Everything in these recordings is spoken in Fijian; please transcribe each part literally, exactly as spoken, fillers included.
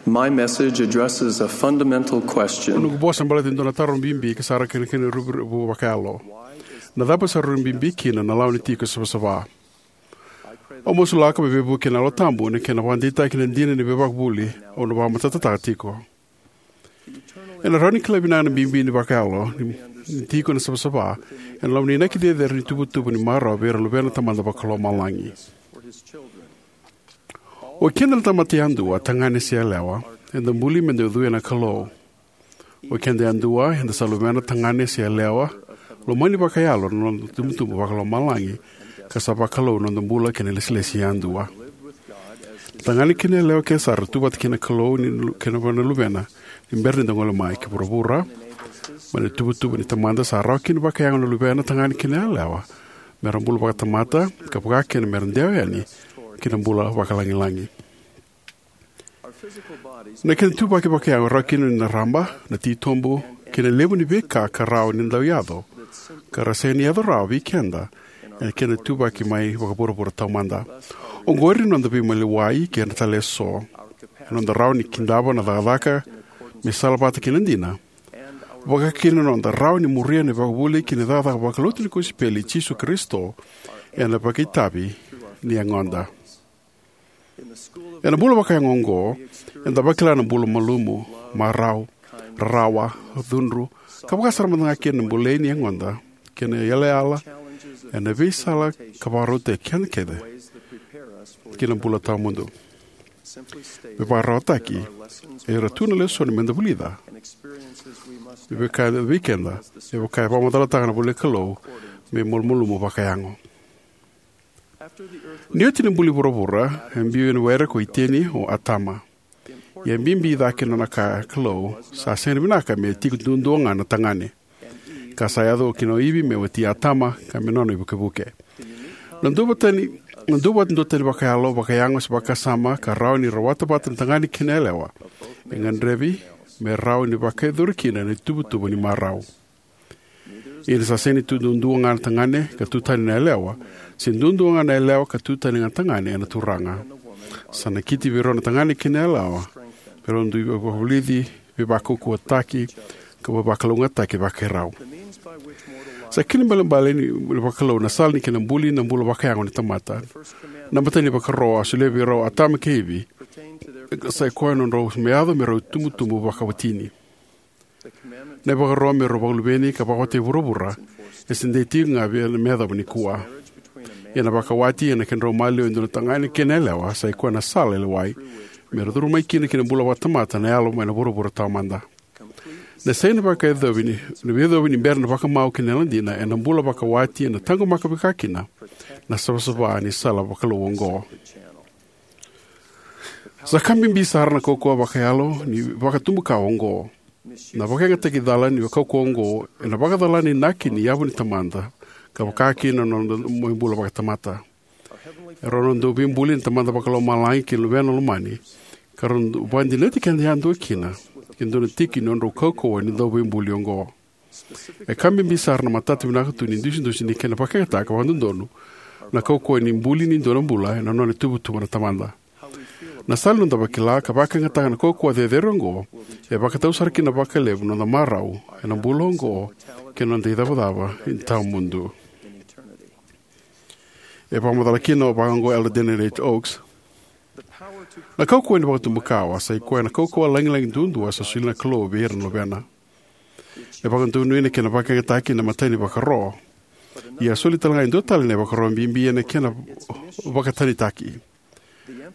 My message addresses a fundamental question. Noqu vosa baleta e dua na taro bibi ka sara kina kina rubribu vakayalo. Na cava sa rui bibi kina na lawa ni tiko savasava? Au masulaka me veivuke na Yalo Tabu ena kena vakadeitaki na dina ni veivakavuvuli au na vakamatatataka tiko. Ena rawa ni kila vinaka na bibi ni vakayalo ni tiko na savasava ena loma ni inaki cecere ni tuvatuva ni marau vei ira na luvena Tamada Vakalomalagi. O keda na tamata yadua, tagane se yalewa, eda buli meda ucuya na Kalou. O keda yadua eda sa luvena, tagane se yalewa, lomani vakayalo na noda tubutubu vakalomalagi, ka sa vakalou na noda bula kei na ilesilesi yadua. Tagane kei na yalewa kece sara tu vata kei na Kalou ni lu- kei na vua na luvena ni bera ni da gole mai ki vuravura. Mai na tuvatuva ni Tamada sa rawa kina vakayago na luvena, tagane kei na yalewa, mera bula vakatamata, ka vaka kina mera dewa yani ki na bula vakalagilagi. Na kena ituvaki vakayago e rawa kina na raba, na titobu, kei na levu ni veika ka rawa ni dau yaco, ka ra sega ni yaco rawa vei keda ena kena ituvaki mai vakavuravura taumada. Oqori na noda veimaliwai kei ira tale eso, na noda rawa ni kidava na cakacaka me salavata kei na dina, vaka kina na noda rawa ni muria na ivakavuvuli kei na cakacaka vakalotu ni kosipeli i Jisu Karisito ena vakaitavi ni yagoda. Ena bula vakayago oqo, eda vakila na bula malumu, marau, rarawa, cudru, ka vaka sara mada ga kina na bolei ni yagoda kei na iyalayala ena veisala ka vakarautaki keda kece ki na bula tawamudu. Me vakararawataki, era tu na lesoni meda vulica, me vaka vei keda, me vaka e vakamacalataka na ivolanikalou, me malumalumu vakayago. Ni oti na buli vuravura, e biu ena were ko Iteni o Atama. Ia e bibi cake na nona kaya na Kalou, sa sega ni vinaka me tiko duadua ga na tagane. Ka sa yaco kina o Ivi me wati Atama, ka me nona ivukevuke. Na duavata ni, na duavata duatani vakayalo, vakayago se vakasama, ka rawa ni rawata vata na tagane kei na yalewa, e gadrevi me rawa ni vakayacori kina na ituvatuva ni marau. Ia ni sa sega ni tu duadua ga na tagane ka tu tani na yalewa, se duadua ga na yalewa ka tu tani ga na tagane ena Turaga. Sa nakiti vei rau na tagane kei na yalewa me rau dui vakavulici, veivakaukauwataki, ka veivakalougatataki vakai rau. Sa kena ibalebale ni, ni vakalou na sala ni kena buli na bula vakayago ni tamata. Na imatai ni vakaro a solia vei rau o Atama kei Ivi, sa i koya na nodrau me yaco me rau itubutubu vakawatini. Na ivakaro me rau vakaluveni ka vakawati vuravura e se dei tiko ga vei me yacova nikua. Ia na vakawati ena kedrau maliwa e dua na tagane kei na yalewa sa i koya na sala e lewai me ra curu mai kina ki na bula vakatamata na yalo mai na vuravura taumada. Na sega ni vakayacovi ni, ni veiyacovi ni bera na vakamau kei na yalodina ena bula vakawati ena taqomaka vaka kina na savasava ni sala vakalou oqo. Sa ka bibi sara na kaukauwa vakayalo ni vakatubukawa oqo. Na vakayagataki cala ni kaukauwa oqo ena vakacala na inaki ni yavu ni tamada, ka vaka kina na noda mai bula vakatamata. E rau na dauveibuli na Tamada Vakalomalagi kei na Luvena Lomani, ka rau vakadinati keda yadua kina e dua na tiki ni nodrau kaukauwa ni dauveibuli oqo. E ka bibi sara na matata vinaka tu ni dusidusi ni kena vakayagataka vakadodonu na kaukauwa ni buli ni dua na bula ena nona ituvatuva na tamada. Na sala ni noda vakila ka vakayagataka na kaukauwa cecere oqo e vakatau sara kina vakalevu na noda marau ena bula oqo kei na noda icavacava ni tawamudu. E vakamacala kina vaka oqo o Elder Daniel H. Oaks: Na kaukauwa ni vakatubukawa sa i koya na kaukauwa lagilagi duadua sa solia na Kalou vei ira na luvena. E vakadonui na kena vakayagataki ena imatai ni vakaro. Ia e soli tale ga e dua tale na ivakaro bibi ena kena vakatanitaki.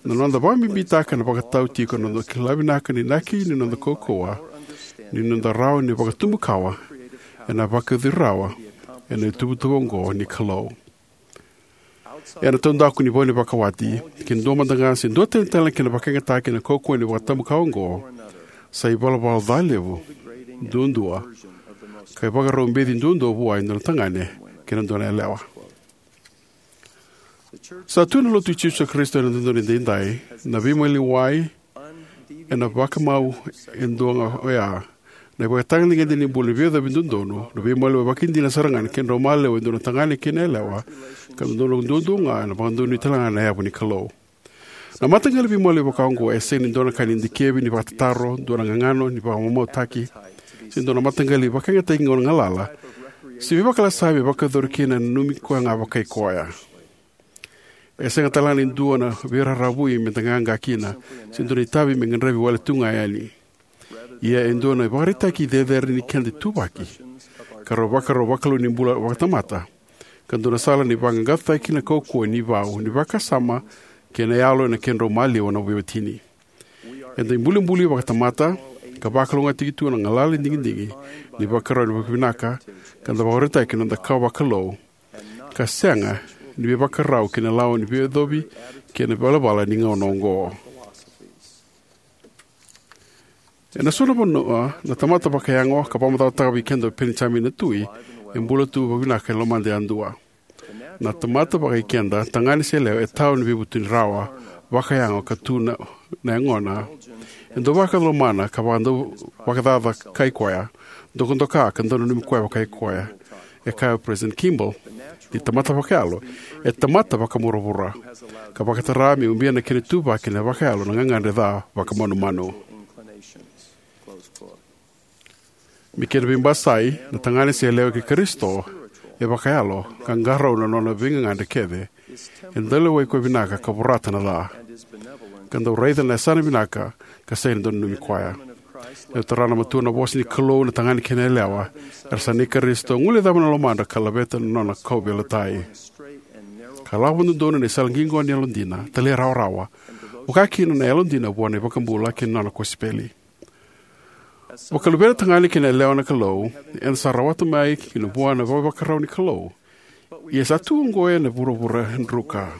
Na noda vakabibitaka na vakatau tiko na noda kila vinaka ni inaki ni noda kaukauwa ni noda rawa ni vakatubukawa ena vakayacori rawa ena ituvatuva oqo ni Kalou. Ena taudaku ni vau ni vakawati, ke dua mada ga se dua tani tale na kena vakayagataki na kaukauwa ni vakatubukawa oqo, sa ivalavala ca levu duadua ka ivakarau beci duadua vua e dua na tagane kei na dua na yalewa. Sa tu na Lotu i Jisu Karisito ena dodonu edaidai na veimaliwai ena vakamau e dua ga oya. Na ivakatagedegede ni bula ni veiyacovi dodonu, na veimaliwai vakaidina sara ga ni kedrau maliwa e dua na tagane kei na yalewa, ka dodonu duadua ga ena vakadonui tale ga na yavu ni Kalou. Na mataqali veimaliwai vakaoqo e sega ni dua na ka ni dikevi ni vakatataro, dua na gagano ni vakamamautaki, se dua na mataqali vakayagataki gauna galala, se veivakalasavi e vakayacori kina ena nanumi koya ga vakai koya. E sega talega ni dua na veiraravui me da qaqa kina, se dua na itavi me qaravi wale tu ga yani. Ia e dua na ivakaraitaki cecere ni keda ituvaki, ka rau vakarau vakalou ni bula vakatamata, ka dua na sala ni vaqaqacotaki na kaukauwa ni vau ni vakasama kei na yalo ena kedrau maliwa na veiwatini. Eda ibulibuli vakatamata, ka vakalougatataki tu na galala ni digidigi ni vakarau ni vakavinaka, ka da vakarautaki na noda kawa vakalou, ka sega ni veivakarau kei na lawa ni veiyacovi kei na ivalavala ni gauna oqo. Ena so na vanua, na tamata vakayago, ka vakamacalataka vei keda o Penijamini na tui, e bula tu vakavinaka e lomada yadua. Na tamata vakaikeda, tagane se yalewa, e tawa ni veivutuni rawa vakayago ka tu na, na yagona. E dau vakalomana ka vakadau vakacaca kai koya, dokadoka ka dau nanumi koya vakai koya. E kaya o President Kimball ni tamata vakayalo e tamata vakavuravura, ka vakatara me ubia na kena ituvaki na vakayalo na gagadre ca vakamanumanu. Me kena veibasai, na tagane se yalewa kei Karisito e vakayalo, ka qarauna na nona veigagadre kece. E dau lewai koya vinaka ka vorata na ca, ka dau raica na yasana vinaka, ka sega ni dau nanumi koya. E dau tara na matua na vosa ni Kalou na tagane kei na yalewa, era sa nei Karisito, guilecava na lomadra ka laveta na nona kauveilatai, ka lako vakadodonu ena isala qiqo ni yalodina, talairawarawa, vaka kina na yalodina vua na iVakabula kei na nona kosipeli. Vakaluvena tagane kei na yalewa na Kalou, eda sa rawata mai kina vua na vakaivakarau ni Kalou. Ia sa tu oqo ena vuravura druka.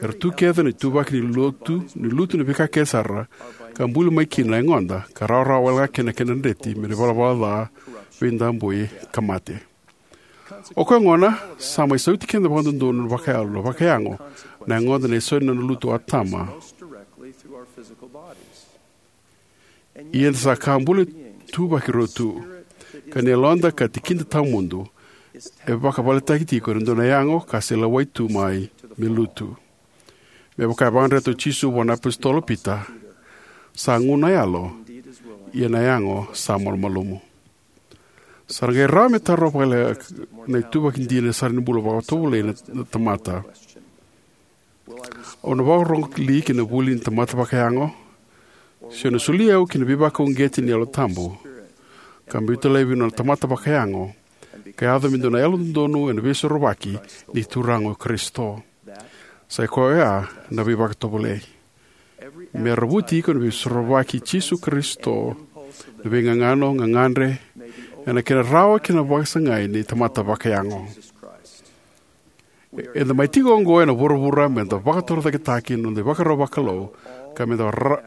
Era tu kece na ituvaki ni lutu, ni lutu na veika kece sara, ka buli mai kina na yagoda, ka rawarawa wale ga kina na kena dreti mai na ivalavala ca, veidabui, ka mate. O koya gona, sa mai sauti keda vakadodonu na vakayalo, na vakayago, na yagoda ena isau ni nona lutu o Atama. Ia eda sa ka bula ituvaki rua tu, ka ni yaloda ka tikida tawamudu e vakavaletaki tiko ena dua na yago ka se lewai tu mai me lutu. Me vaka e vakadreta o Jisu vua na apositolo Pita, sa gu na yalo, ia na yago sa malumalumu. Sa ra qai rawa me tarova vakalekaleka na ituvaki dina sara ni bula vakatovolei na, na tamata. Au na vakarorogo li ki na vuli ni tamata vakayago? Se au na soli au ki na veivakauqeti ni Yalo Tabu, ka biuta laivi na tamata vakayago, ka yaco me dua na yalododonu ena veisorovaki ni Turaga o Karisito? Sa i koya oya na veivakatovolei. Me ravuti iko na veisorovaki i Jisu Karisito, na veigagano, gagadre, ena kena rawa kina vakasagai ni tamata vakayago. Eda mai tiko oqo ena vuravura me da vakatorocaketaki na noda ivakarau vakalou, ka me da ra-,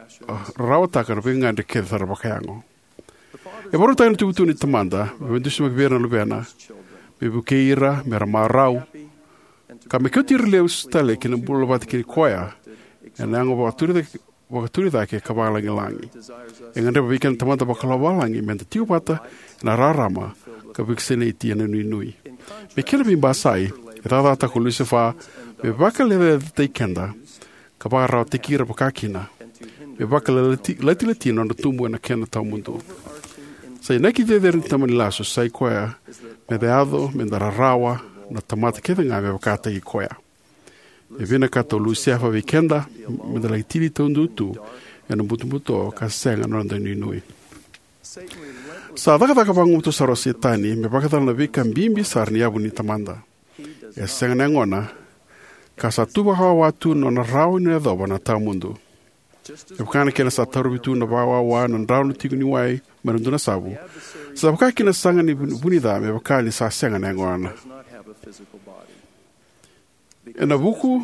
rarawataka na veigagadre kece sara vakayago. E vakarautaka na ituvatuva ni Tamada me veidusimaki vei ira na luvena, me vukei ira me ra marau, ka me kauti ira lesu tale ki na bula vata kei koya ena yago vakaturi cake, vakaturi cake ka vakalagilagi. E gadreva vei keda na Tamada Vakalomalagi me da tiko vata ena rarama ka vakasinaiti ena inuinui. Me kena veibasai, e cakacakataka o Lusifa me vakalecalecataki keda, ka vakararawataki ira vakakina, me vakalatilati na nodra tubu ena kena tawamudu. Sa inaki cecere ni tamani lasu sa i koya me da yaco me da rarawa na tamata kece ga me vakataki koya. E vinakata o Lusifa vei keda me da laki tini taudua tu ena butobuto ka sega na noda inuinui. Sa cakacaka vagumatua sara o Setani me vakacala na veika bibi sara ni yavu ni Tamada. E sega na yagona, ka sa tu vakawawa tu na nona rawa ni yacova na tawamudu. E vaka na kena sa tarovi tu na vakawawa na drano tiko ni wai mai na dua na savu, sa vaka kina saga ni vu-, vunica me vaka ni sa sega na yagona. Ena vuku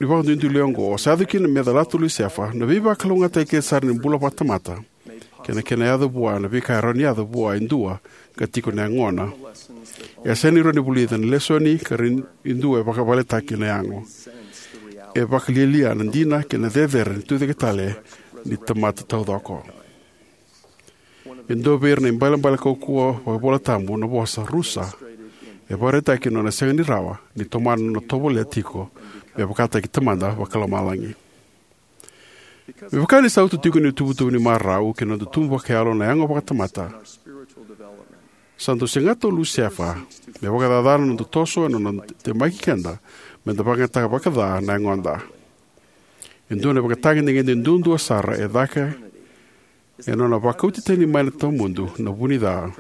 ni vakaduiduile oqo, sa yaco kina me calata o Lusifa na veivakalougatataki kece sara ni bula vakatamata, kei na kena yaco vua na veika e rawa ni yaco vua e dua ka tiko na yagona. E sega ni rawa ni vulica na lesoni ka rawa ni dua e vakavaletaki na yago. E vakalialia na dina kei na cecere ni tucake tale ni tamata taucoko. E dua vei ira na ibalebale kaukauwa vakaivolatabu na vosa rusa. E vakaraitaki na nona sega ni rawa ni tomana na nona tovolea tiko me vakataki Tamada Vakalomalagi. Me vaka ni sa uto tiko ni tuvatuva ni marau kei na noda tubu vakayalo na yago vakatamata, sa dau sega tu o Lusefa me vakacacana na noda toso ena nona temaki keda me da vakayagataka vakaca na yagoda. E dua na ivakatagedegede duadua sara e cake ena nona vakauti tani mai na tawamudu na vu ni ca.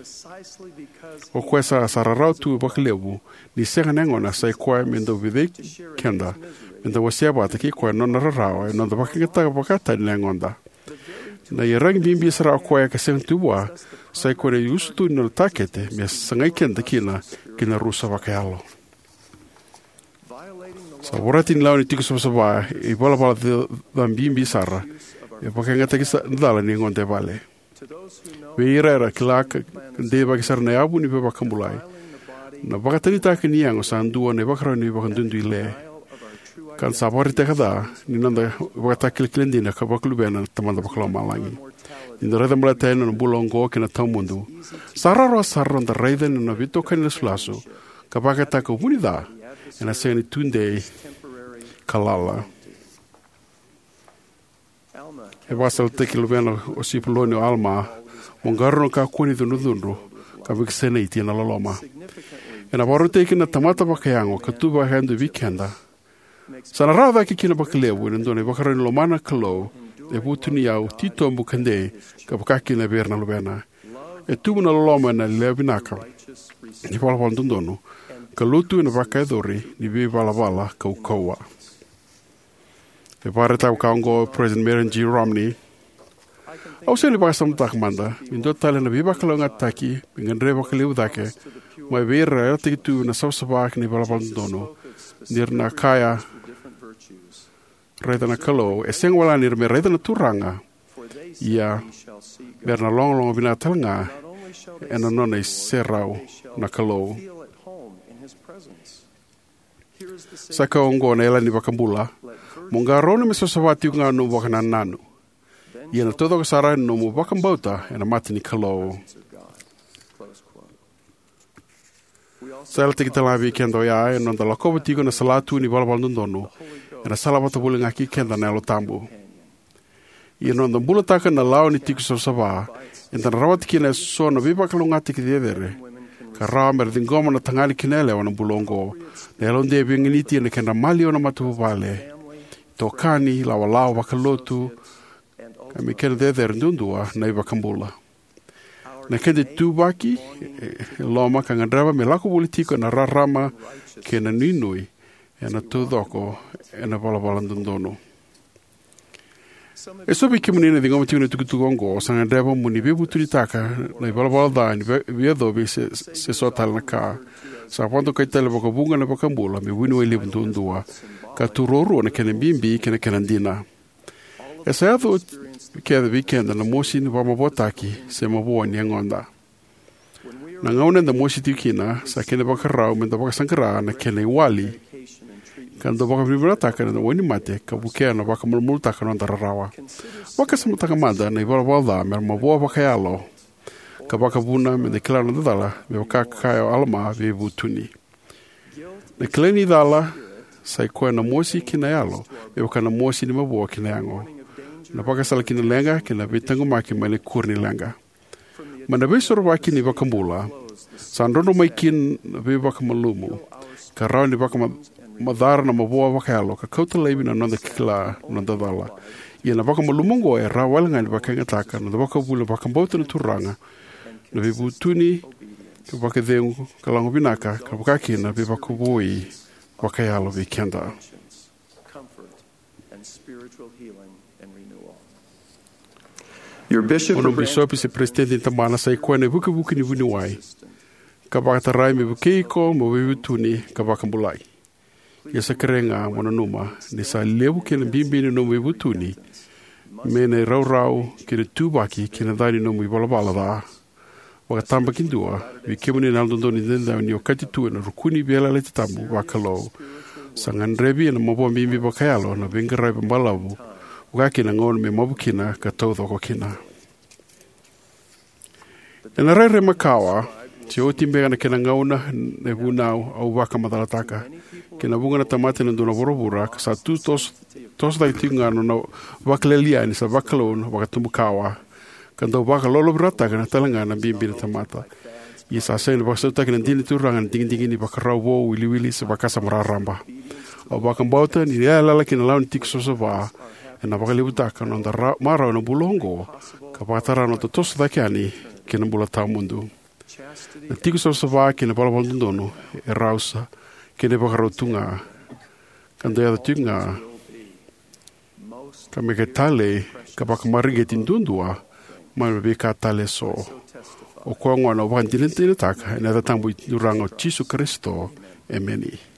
O koya sa, sa rarawa tu vakalevu ni sega na yagona, sa i koya me dau vecei keda me da wasea vata kei koya na nona rarawa ena noda vakayagataka vakatani na yagoda. Na iyaragi bibi sara o koya ka sega tu vua, sa i koya na iusutu ni nona takete me sagai keda kina ki na rusa vakayalo. Sa vorati ni lawa ni tiko savasava e ivalavala ca, ca bibi sara e vakayagataki sa, cala ni yagoda e vale. Vei ira era kila ka deivaki sara na yavu ni veivakabulai, na vakatanitaka ni yago sa dua na ivakarau ni vakaduiduile. Ka da sa vakaraitaka ca ni noda ivakatakilakila dina ka vakaluvena na Tamada Vakalomalagi. Ni da raica baleta yani na bula oqo kei na tawamudu, sa rawarawa sara noda raica ni nona veitokani lasulasu ka vakayagataka vu ni ca ena sega ni tudei ka lala. E vakasalataki luvena o Sipuloni o Alama, mo qarauna kakua ni cudrucudru ka vakasinaiti ena loloma. Ena vakarautaki kina na tamata vakayago ka tu vakayadua vei keda. Sa na rawa cake kina vakalevu ena dua na ivakarau ni lomana na Kalou e vutuni, au titobu ka dei, ka vaka kina vei ira na luvena. E tubu na loloma ena lewa vinaka ni valavala dodonu ka lutu ena vakayacori ni veivalavala kaukauwa. E vakaraitaka vaka oqo o President Marion G. Romney: Au sega ni vakasamataka mada me dua tale na veivakalougatataki me gadrevi vakalevu cake mai vei ira era yalataki tu na savasava kei na ivalavala dodonu, ni ra na kaya, raica na Kalou. E sega wale ga ni ra me raica na Turaga, ia me ra na logaloga vinaka tale ga ena nona iserau na Kalou. Sa kaya oqo na yalani vakabula: Mo qarauna me savasava tiko ga na nomu vakanananu, ia na taucoko sara na nomu vakabauta ena mata ni Kalou. Sa yalataki tale ga vei keda oya ena noda lakova tiko na salatu ni valavala dodonu, ena sala vata voli ga kei keda na Yalo Tabu. Ia na noda bulataka na lawa ni tiko savasava, eda na rawata kina eso na veivakalougatataki cecere ka rawa me ra ciqoma na tagane kei na yalewa ena bula oqo. Na yalodei e veiganiti ena kedra maliwa na matavuvale, itokani, lawalawa vakalotu, ka me kena cecere duadua na iVakabula. Na keda ituvaki e, e loma ka gadreva me lako voli tiko ena rarama kei na nuinui ena taucoko ena valavala dodonu. Eso vei kemuni na ciqoma tiko na itukutuku oqo, sa gadreva mo ni veivutunitaka na ivalavala ca ni vei, veiyacovi se, se so tale na ka. Sa vakadokai tale vakavuqa na iVakabula me vuniwai levu duadua, ka tu ruarua na kena bibi kei na kena dina. E sa yaco oti kece vei keda na mosi ni vakamavoataki se mavoa ni yagoda. Na gauna eda mosi tiko kina, sa kena ivakarau me da vakasaqara na kena iwali, ka da vakavinavinakataka na wainimate ka vukea na vakamalumalumutaka na noda rarawa. Vakasamataka mada na ivalavala ca me ra mavoa vakayalo, ka vakavuna me da kila na noda cala, me vaka ka kaya o Alama, veivutuni. Na kilai ni cala sa i koya na mosi ki na yalo, me vaka na mosi ni mavoa ki na yago. Na vakasala ki na leqa kei na veitaqomaki mai na ikuri ni leqa. Mai na veisorovaki ni iVakabula, sa drodro mai kina na veivakamalumu, ka rawa ni vakamacara na mavoa vakayalo, ka kauta laivi na noda kila na noda cala. Ia na vakamalumu oqo e rawa wale ga ni vakayagataka na noda vakavuli na vakabauta na Turaga, na veivutuni, ka vakacegu, ka lagona vinaka, ka vaka kina na veivakavoui vakayalo vei keda. Your bishop O nomu bisopi se peresitedi ni tabana sa i koya na ivukivuki ni vuniwai, ka vakatarai me vukei iko mo veivutuni ka vakabulai. Ia sa kerei ga mo nanuma ni sa levu kei na bibi ni nomu veivutuni me na iraurau kei na ituvaki kei na ca ni nomu ivalavala ca. Vakatabakidua, vei kemuni na Yalododonu Edaidai, o ni okati tu ena rukuni veiyalayalati tabu vakalou. Sa gadrevi ena mavoa bibi vakayalo na veiqaravi balavu, vaka kina na gauna me mavu kina ka taucoko kina. Ena rairai makawa, Se oti beka na kena gauna, na vunau au vakamacalataka. Kei na vuqa na tamata ena dua na vuravura, ka sa tu toso, toso cake tiko ga na nona vakalialiai ni sa vakalou na vakatubukawa. Ka dau vakalolovirataka na talega na bibi na tamata. Ia sa sega ni vakasautaki na dina ni Turaga na digidigi ni vakarau vou, wiliwili, se vakasama raraba. Au vakabauta ni yalayala kei na lawa ni tiko savasava ena vakalevutaka na noda ra-, marau ena bula oqo, ka vakatara na noda toso cake yani kei na bula tawamudu. Na tiko savasava kei na valavala dodonu e rausa kei na ivakarau tu ga, ka dau yaco tiko ga, ka me ka talei ka vakamareqeti duadua mai na veika tale eso. O koya gona au vakadinadinataka ena yaca tabu i Turaga o Jisu Karisito. Emeni.